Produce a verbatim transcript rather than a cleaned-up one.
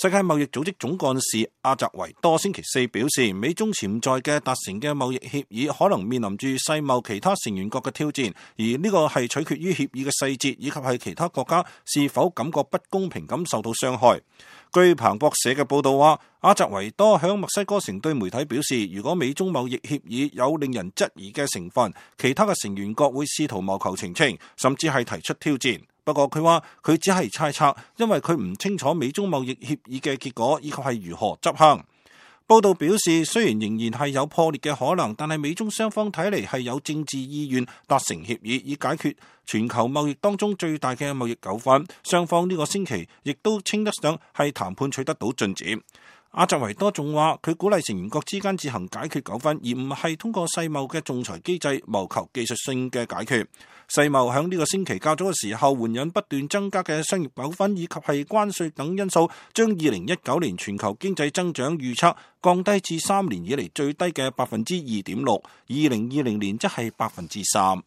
世界貿易組織總幹事阿澤維多星期四表示，美中潛在嘅達成嘅貿易協議可能面臨住世貿其他成員國嘅挑戰，而呢個係取決於協議嘅細節以及係其他國家是否感覺不公平咁受到傷害。據彭博社嘅報道話，阿澤維多響墨西哥城對媒體表示，如果美中貿易協議有令人質疑嘅成分，其他嘅成員國會試圖謀求澄清，甚至係提出挑戰。不過佢話佢只係猜測，因為佢唔清楚美中貿易協議嘅結果以及係如何執行。報道表示，雖然仍然係有破裂嘅可能，但係美中雙方睇嚟係有政治意願達成協議，以解決全球貿易當中最大嘅貿易糾紛。雙方呢個星期亦都稱得上係談判取得到進展。阿澤維多仲話，佢鼓勵成員國之間自行解決糾紛，而唔係通過世貿嘅仲裁機制謀求技術性嘅解決。世貿喺呢個星期較早嘅時候，援引不斷增加嘅商業糾紛以及係關稅等因素，將二零一九年全球經濟增長預測降低至三年以嚟最低嘅百分之二點六，二零二零年則係百分之三。